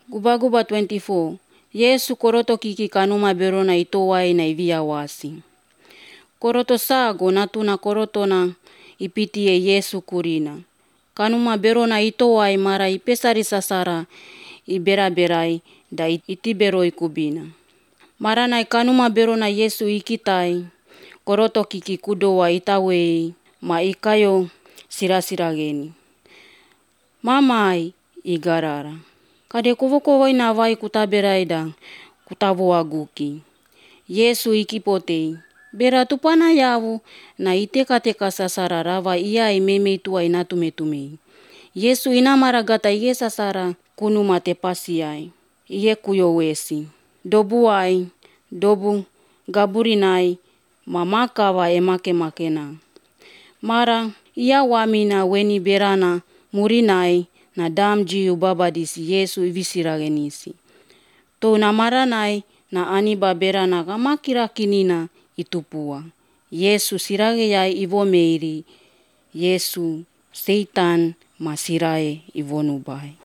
Guba-guba 24. Yesu koroto kiki kanuma berona itowai na iviawasi. Koroto sago natuna korotona ipitie Yesu kurina. Kanuma berona itowai mara ipesari sasara ibera-berai da itiberoi kubina. Maranai kanuma berona Yesu ikitai, koroto kiki kudowa itawei ma ikayo sirasirageni. Mamai igarara. Kade kovo-kovoi na vai kutaberai da kutavoaguki. Yesu ikipotei. Bera tupana yavu na iteka-teka sasara rava iai memei tuai natume-tumei. Yesu inamaragata iye sasara kunuma tepasiai. Iye kuyowesi. Dobuai, dobu gaburinai ma makava emake-makena. Mara ia wamina weni berana murinai na damjiu babadisi Yesu ivisiragenisi. Touna maranai na aniba berana gamakirakinina itupua. Yesu sirageyai ivomeiri. Yesu Seitan masirae ivonubai.